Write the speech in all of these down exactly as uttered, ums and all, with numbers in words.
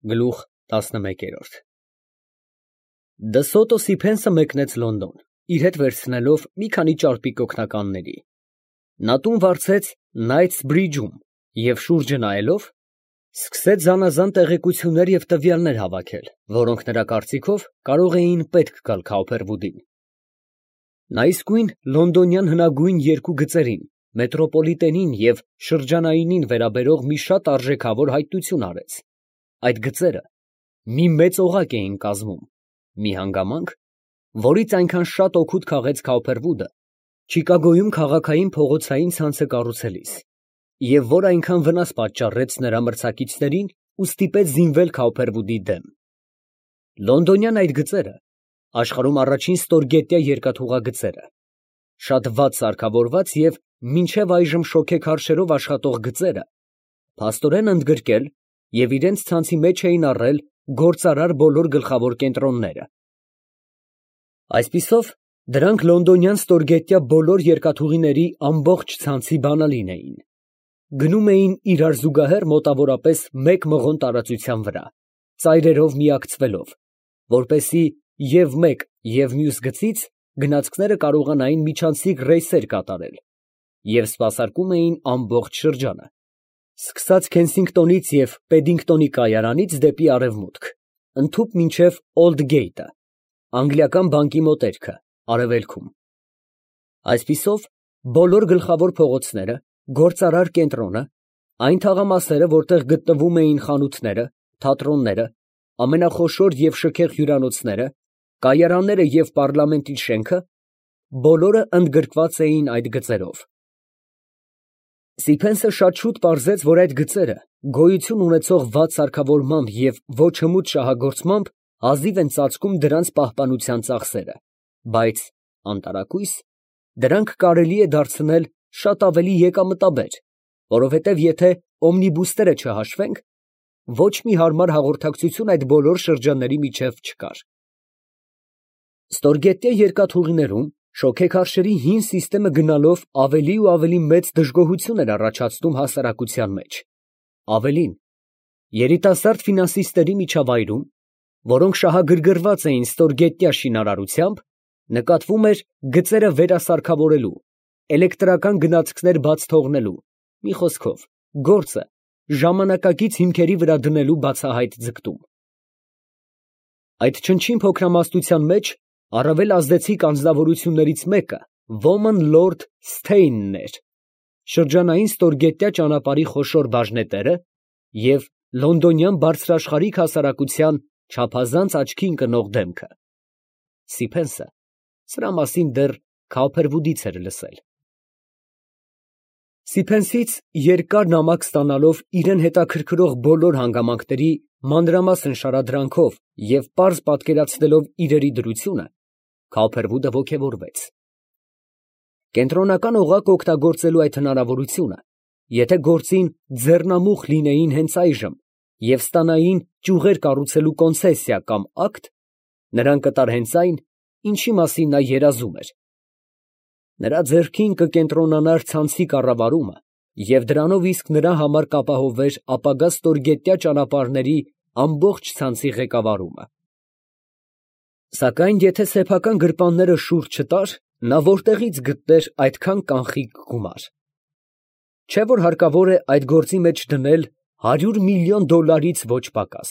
Գլուխ տասնմեկերորդ Դսոտո Սիփենսը մեկնեց Լոնդոն, իր հետ վերցնելով մի քանի ճարպիկ օգնականների. նա տուն վարձեց Նայթսբրիջում և շուրջը նայելով, սկսեց զանազան տեղեկություններ և տվյալներ հավաքել, որոնք նրա կարծիքով կարող էին պետք գալ Քաուփերվուդին. նա իսկույն լոնդոնյան հնագույն երկու գծերին, մետրոպոլիտենին և շրջանայինին վերաբերող մի շատ արժեքավոր հայտնություն արեց. այդ գծերը մի մեծ օղակ էին կազմում, մի հանգամանք, որից այնքան շատ օգուտ քաղեց Քաուփերվուդը Չիկագոյում քաղաքային փողոցային ցանցը կառուցելիս, և որ այնքան վնաս պատճառեց նրա մրցակիցներին ու ստիպեց զինվել Քաուփերվուդի դեմ։ Լոնդոնյան այդ գծերը աշխարհում առաջին ստորգետնյա երկաթուղագծերը, շատ վատ սարքավորված և մինչև այժմ շոգեքարշերով աշխատող գծերը, փաստորեն ընդգրկել և իրենց ցանցի մեջ էին առել գործարար բոլոր գլխավոր կենտրոնները։ Այսպիսով, դրանք լոնդոնյան ստորգետնյա բոլոր երկաթուղիների ամբողջ ցանցի բանալին էին, գնում էին իրար զուգահեռ մոտավորապես մեկ մղոն տարածության վրա, ծայրերով միակցվելով, որպեսզի և մեկ և մյուս գծից գնացքները կարողանային միջանցիկ ռեյսեր կատարել և սպասարկում էին ամբողջ շրջանը, սկսած Քենսինգտոնից և Պեդինգտոնի կայարանից դեպի արևմուտք, ընդհուպ մինչև Օլդգեյթը, Անգլիական բանկի մոտերքը, արևելքում։ Այսպիսով, բոլոր գլխավոր փողոցները, գործարար կենտրոնը, այն թաղամասերը, որտեղ գտնվում էին խանութները, թատրոնները, ամենախոշոր և շքեղ հյուրանոցները, կայարանները և պառլամենտի շենքը, բոլորը ընդգրկված էին այդ գծերով։ Սիփենսը շատ շուտ պարզեց, որ այդ գծերը գոյություն ունեցող վատ սարքավորմամբ և ոչ հմուտ շահագործմամբ հազիվ են ծածկում դրանց պահպանության ծախսերը, բայց, անտարակույս, դրանք կարելի է դարձնել շատ ավելի եկամտաբեր, որովհետև եթե օմնիբուսները չհաշվենք, ոչ մի հարմար հաղորդակցություն այդ բոլոր շրջանների միջև չկար։ Ստորգետնյա երկաթուղիներում շոգեքարշերի հին սիստեմը գնալով ավելի ու ավելի մեծ դժգոհություն էր առաջացնում հասարակության մեջ, ավելին, երիտասարդ ֆինանսիստների միջավայրում, որոնք շահագրգռված էին ստորգետնյա շինարարությամբ, նկատվում էր գծերը վերասարքավորելու, էլեկտրական գնացքներ բաց թողնելու, մի խոսքով, գործը ժամանակակից հիմքերի վրա դնելու բացահայտ ձգտում։ Այդ չնչին փոքրամասնության մեջ առավել ազդեցիկ անձնավորություններից մեկը Ոման լորդ Սթեյնն էր, շրջանային ստորգետնյա ճանապարհի խոշոր բաժնետերը և լոնդոնյան բարձրաշխարհիկ հասարակության չափազանց աչքի ընկնող դեմքը։ Սիփենսը սրա մասին դեռ Քաուփերվուդից էր լսել։ Սիփենսից երկար նամակ ստանալով իրան հետաքրքրող բոլոր հանգամանքների մանրամասն շարադրանքով և պարզ պատկերացնելով իրերի դրությունը, Քաուփերվուդը ոգևորվեց։ Կենտրոնական օղակը օգտագործելու այդ հնարավորությունը, եթե գործին ձեռնամուխ լինեին հենց այժմ և ստանային ճյուղեր կառուցելու կոնցեսիա կամ ակտ, նրան կտար հենց այն, ինչի մասին նա երազում էր։ Նրա ձեռքին կկենտրոնանար ցանցի կառավարումը և դրանով իսկ նրա համար կապահովվեր ապագա ստորգետնյա ճանապարհների ամբողջ ցանցի ղեկավարումը։ Սակայն եթե սեփական գրպանները շուռ չտար, նա որտեղի՞ց գտներ այդքան կանխիկ գումար։ Չէ՞ որ հարկավոր է այդ գործի մեջ դնել հարյուր միլիոն դոլարից ոչ պակաս։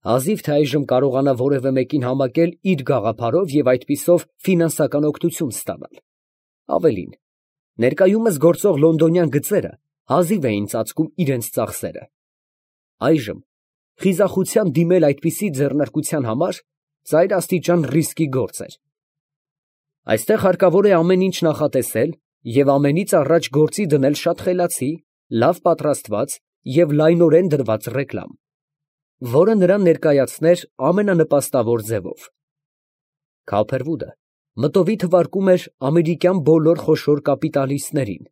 Հազիվ թե այժմ կարողանա որևէ մեկին համակել իր գաղափարով և այդպիսով ֆինանսական օգնություն ստանալ։ Ավելին, ներկայումս գործող լոնդոնյան գծերը հազիվ էին ծածկում իրենց ծախսերը։ Այժմ խիզախությամբ դիմել այդպիսի ձեռնարկության համար ծայրաստիճան ռիսկի գործ էր։ Այստեղ հարկավոր է ամեն ինչ նախատեսել և ամենից առաջ գործի դնել շատ խելացի, լավ պատրաստված և լայնորեն դրված ռեկլամ, որը նրան ներկայացներ ամենանպաստավոր ձևով։ Քաուփերվուդը մտովի թվարկում էր ամերիկյան բոլոր խոշոր կապիտալիստներին,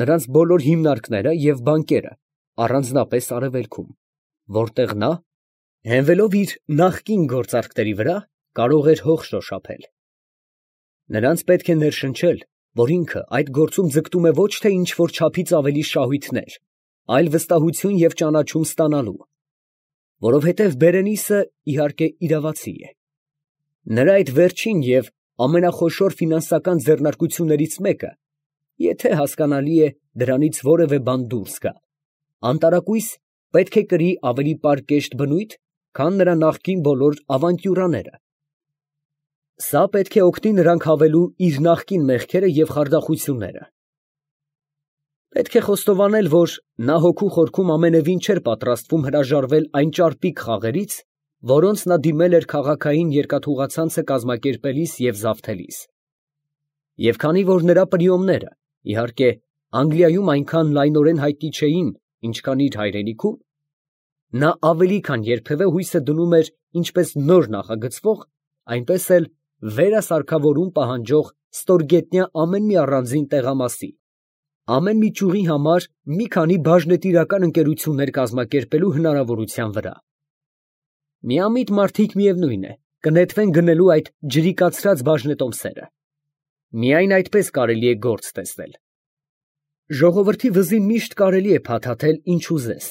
նրանց բոլոր հիմնարկները և բանկերը, առանձնապես արևելքում, որտեղ նա, հենվելով իր նախկին գործարքների վրա, կարող էր հող շոշափել։ Նրանց պետք է ներշնչել, որ ինքը այդ գործում ձգտում է ոչ թե ինչ֊որ չափից ավելի շահույթներ, այլ վստահություն և ճանաչում ստանալու։ Որովհետև Բերենիսը իհարկե իրավացի է։ Նրա այդ վերջին և ամենախոշոր ֆինանսական ձեռնարկություններից մեկը, եթե հասկանալի է դրանից որևէ բան դուրս գա, անտարակույս պետք է կրի ավելի պարկեշտ բնույթ, քան նրա նախկին բոլոր ավանտյուրաները։ Սա պետք է օգնի նրան քաղելու իր նախկին մեղքերը և խարդախությունները։ Պետք է խոստովանել, որ նա հոգու խորքում ամենևին չէր պատրաստվում հրաժարվել այն ճարպիկ խաղերից, որոնց նա դիմել էր քաղաքային երկաթուղացանցը կազմակերպելիս և զավթելիս։ Եվ քանի որ նրա պրիոմները, իհարկե, Անգլիայում այնքան լայնորեն հայտնի չէին, ինչքան իր հայրենիքում, նա ավելի քան երբևէ հույսը դնում էր ինչպես նոր նախագծվող, այնպես էլ վերասարքավորում պահանջող ստորգետնյա ամեն մի առանձին տեղամասի, ամեն մի ճյուղի համար մի քանի բաժնետիրական ընկերություններ կազմակերպելու հնարավորության վրա։ Միամիտ մարդիկ, միևնույն է, կնետվեն գնելու այդ ջրիկացրած բաժնետոմսերը։ Միայն այդպես կարելի է գործ տեսնել։ Ժողովրդի վզին միշտ կարելի է փաթաթել ինչ ուզես,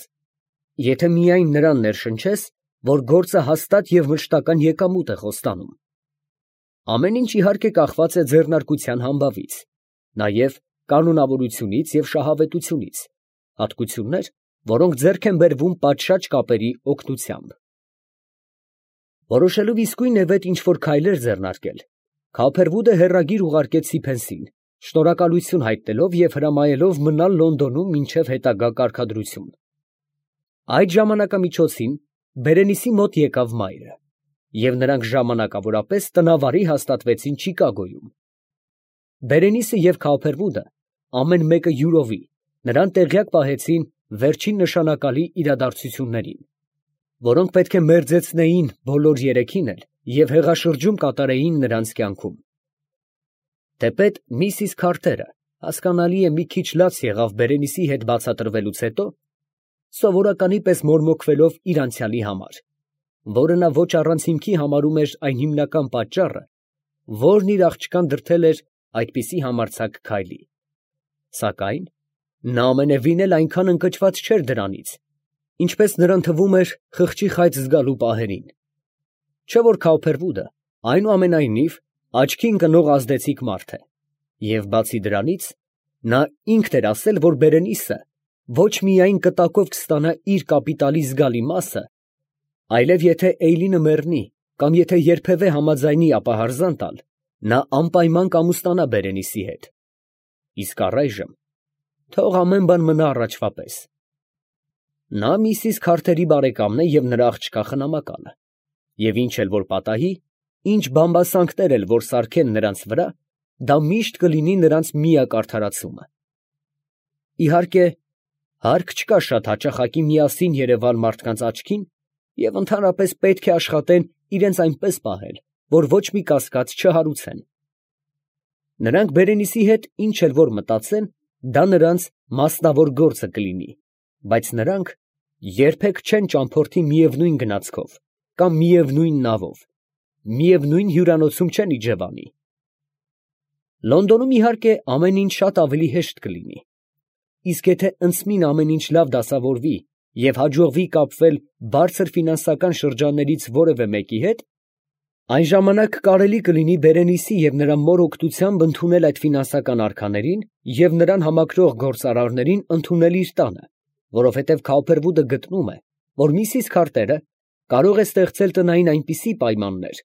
եթե միայն նրան ներշնչես, որ գործը հաստատ և մշտական եկամուտ է խոստանում։ Ամեն ինչ իհարկե կախված է ձեռնարկության համբավից, նաև կանոնավորությունից և շահավետությունից, հատկություններ, որոնք ձեռք են բերվում պատշաճ կապերի օգնությամբ։ Որոշելով իսկույն է վետ ինչ֊որ քայլեր ձեռնարկել, Քափերվուդը հեռագիր ուղարկեց Սիփենսին, շնորհակալություն հայտնելով և հրամայելով մնալ Լոնդոնում մինչև հետագա կարգադրություն։ Այդ ժամանակամիջոցին Բերենիսի մոտ եկավ մայրը, և նրանք ժամանակավորապես տնավարի հաստատվեցին Չիկագոյում։ Բերենիսը և Քափերվուդը, ամեն մեկը յուրովի, նրան տեղյակ պահեցին վերջին նշանակալի իրադարձություններին, որոնք պետք է մերձեցնեին բոլոր երեքին էլ և հեղաշրջում կատարեին նրանց կյանքում։ Թեպետ միսիս Քարթերը, հասկանալի է, մի քիչ լաց եղավ Բերենիսի հետ բացատրվելուց հետո, սովորականի պես մորմոքվելով իր անցյալի համար, որը նա ոչ առանց հիմքի համարում էր այն հիմնական պատճառը, որն իր աղջկան դրդել էր այդպիսի համարձակ քայլի։ Սակայն նա ամենևին էլ այնքան ընկճված չէր դրանից, ինչպես նրան թվում էր խղճի խայծ զգալու պահերին։ Չէ՞ որ Քափերվուդը, այնուամենայնիվ, աչքի ընկնող ազդեցիկ մարդ է, և բացի դրանից, նա ինքն էր ասել, որ Բերենիսը ոչ միայն կտակով կստանա իր կապիտալի զգալի մասը, այլև եթե Էյլինը մեռնի, կամ եթե երբևէ համաձայնի ապահարզան տալ, նա անպայման կամուսնանա Բերենիսի հետ։ Իսկ առայժմ թող ամեն բան մնա առաջվա պես։ Նա միսիս Քարթերի բարեկամն է և նրա աղջկա խնամակալը, և ինչ էլ որ պատահի, ինչ բամբասանքներ էլ որ սարքեն նրանց վրա, դա միշտ կլինի նրանց միակ արդարացումը։ Իհարկե, հարկ չկա շատ հաճախակի միասին երևալ մարդկանց աչքին և ընդհանրապես պետք է աշխատեն իրենց այնպես պահել, որ ոչ մի կասկած չհարուցեն։ Նրանք Բերենիսի հետ ինչ էլ որ մտածեն, դա նրանց մասնավոր գործը կլինի, բայց նրանք երբեք չեն ճամփորդի միևնույն գնացքով կամ միևնույն նավով, միևնույն հյուրանոցում չեն իջևանի։ Լոնդոնում, իհարկե, ամեն ինչ շատ ավելի հեշտ կլինի, իսկ եթե ընծմին ամեն ինչ լավ դասավորվի և հաջողվի կապվել բարձր ֆինանսական շրջաններից որևէ մեկի հետ, այն ժամանակ կարելի կլինի Բերենիսի և նրա մոր օգնությամբ ընդունել այդ ֆինանսական արքաներին և նրան համակրող գործարարներին ընդունել իր տանը, որովհետև Քափերվուդը գտնում է, որ միսիս Քարթերը կարող է ստեղծել տնային այնպիսի պայմաններ,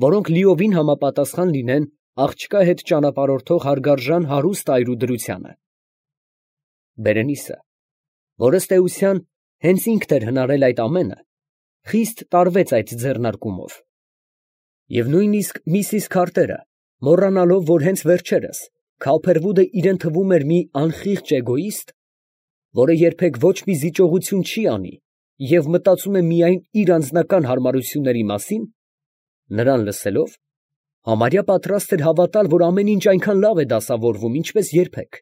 որոնք լիովին համապատասխան լինեն աղջկա հետ ճանապարհորդող հարգարժան հարուստ այրու դրությանը։ Բերենիսը, որ ըստ էության հենց ինքն էր հնարել այդ ամենը, խիստ տարվեց այդ ձեռնարկումով։ Եվ նույնիսկ միսիս Քարթերը, մոռանալով, որ հենց վերջերս Քափերվուդը իրեն թվում էր մի անխիղճ էգոիստ, որը երբեք ոչ մի զիջողություն չի անի և մտածում է միայն իր անձնական հարմարությունների մասին, նրան լսելով, համարյա պատրաստ էր հավատալ, որ ամեն ինչ այնքան լավ է դասավորվում, ինչպես երբեք։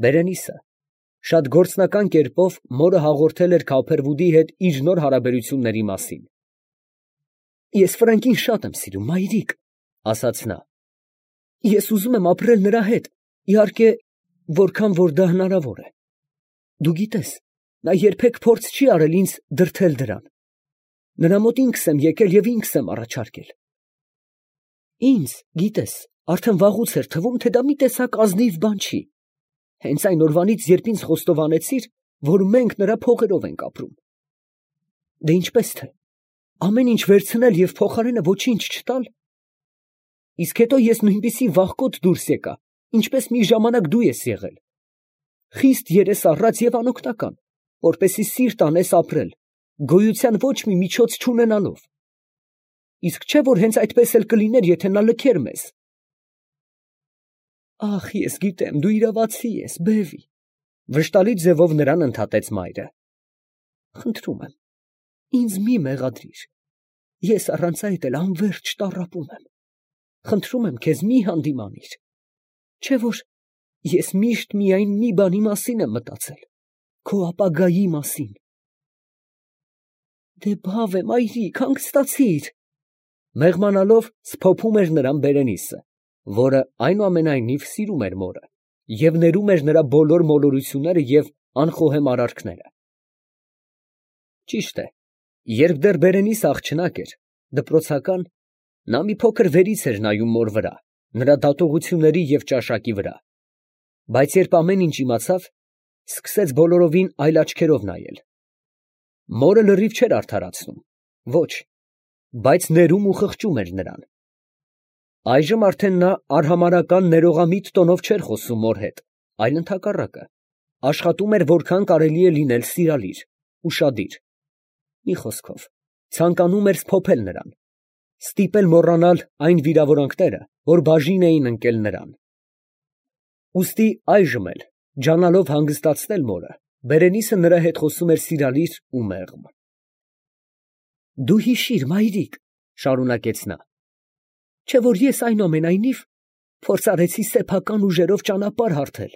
Բերենիսը շատ գործնական կերպով մորը հաղորդել էր Քափերվուդի հետ իր նոր հարաբերությունների մասին։ «Ես Ֆրանկին շատ եմ սիրում, մայրիկ, ֊ ասաց նա. ֊ ես ուզում եմ ապրել նրա հետ, իհարկե, որքան որ դա հնարավոր է։ Դու գիտես, նա երբեք փորձ չի արել ինձ դրդել դրան. նրա մոտ ինքս եմ եկել և ինքս եմ առաջարկել։ Ինձ, գիտես, արդեն վաղուց էր թվում, թե դա մի տեսակ ազնիվ բան չի, հենց այն օրվանից, երբ ինձ խոստովանեցիր, որ մենք նրա փողերով ենք ապրում։ Դե ինչպես թե, ամեն ինչ վերցնել և փոխարենը ոչինչ չտալ։ Իսկ հետո ես նույնպիսի վախկոտ դուրս եկա, ինչպես մի ժամանակ դու ես եղել, խիստ երես առած և անօգնական, որպեսզի սիրտ անես ապրել, գոյության ոչ մի միջոց չունենալով։ Իսկ չէ՞ որ հենց այդպես էլ կլիներ, եթե նա լքեր մեզ։ Ախ, ես գիտեմ, դու իրավացի ես, բևի, վշտալի ձևով նրան ընդհատեց մայրը։ Խնդրում եմ, ինձ մի մեղադրիր, ես առանց այդ էլ անվերջ տառապում եմ։ Խնդրում եմ քեզ, մի հանդիմանիր, չէ՞ որ ես միշտ միայն մի բանի մասին եմ մտածել, քո ապագայի մասին։ Դե բավ է, մայրիկ, հանգստացիր։ Մեղմանալով սփոփում էր նրան Բերենիսը, որը այնուամենայնիվ սիրում էր մորը և ներում էր նրա բոլոր մոլորությունները և անխոհեմ արարքները։ Ճիշտ է, երբ դեռ Բերենիսը աղջնակ էր, դպրոցական, նա մի փոքր վերից էր նայում մոր վրա, նրա դատողությունների և ճաշակի վրա, բայց երբ ամեն ինչ իմացավ, սկսեց բոլորովին այլ աչքերով նայել։ Մորը լրիվ չէր արդարացնում, ոչ, բայց ներում ու խղճում էր նրան։ Այժմ արդեն նա արհամարհական ներողամիտ տոնով չէր խոսում մոր հետ, այլ ընդհակառակը, աշխատում էր որքան կարելի է լինել սիրալիր, ուշադիր, մի խոսքով, ցանկանում էր սփոփել նրան, ստիպել մոռանալ այն վիրավորանքները, որ բաժին էին ընկել նրան։ Ուստի այժմ էլ, ջանալով հանգստացնել մորը, Բերենիսը նրա հետ խոսում էր սիրալիր ու մեղմ։ Դու հիշիր, մայրիկ, շարունակեց նա, չէ՞ որ ես այնուամենայնիվ փորձ արեցի սեփական ուժերով ճանապարհ հարթել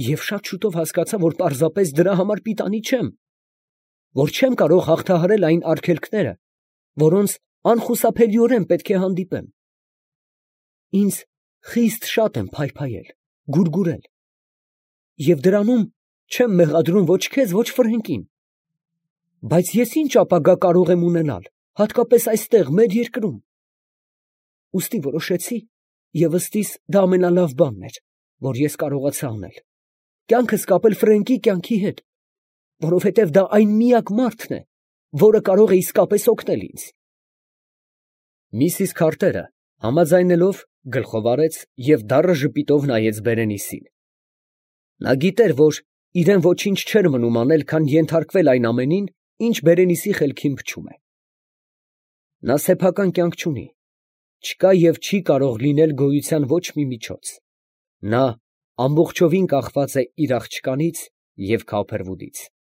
և շատ շուտով հասկացա, որ պարզապես դրա համար պիտանի չեմ, որ չեմ կարող հաղթահարել այն արգելքները, որոնց անխուսափելիորեն պետք է հանդիպեմ։ Ինձ խիստ շատ եմ փայփայել, գուրգուրել, և դրանում չեմ մեղադրում ոչ քեզ, ոչ Ֆրենկին։ Բայց ես ինչ ապագա կարող եմ ունենալ, հատկապես այստեղ, մեր երկրում։ Ուստի որոշեցի, և ըստիս դա ամենալավ բանն էր, որ ես կարողացա անել, կյանքս կապել Ֆրենկի կյանքի հետ, որովհետև դա այն միակ մարդն է, որը կարող է իսկապես օգնել ինձ։ Միսիս Քարթերը, համաձայնելով, գլխով արեց և դառը ժպիտով նայեց Բերենիսին։ Նա գիտեր, որ իրեն ոչինչ չէր մնում անել, քան ենթարկվել այն ամենին, ինչ Բերենիսի խելքին փչում է։ Նա սեփական կյանք չունի, չկա և չի կարող լինել գոյության ոչ մի միջոց։ Նա ամբողջովին կախված է իր աղջկանից և Քավփերվուդից։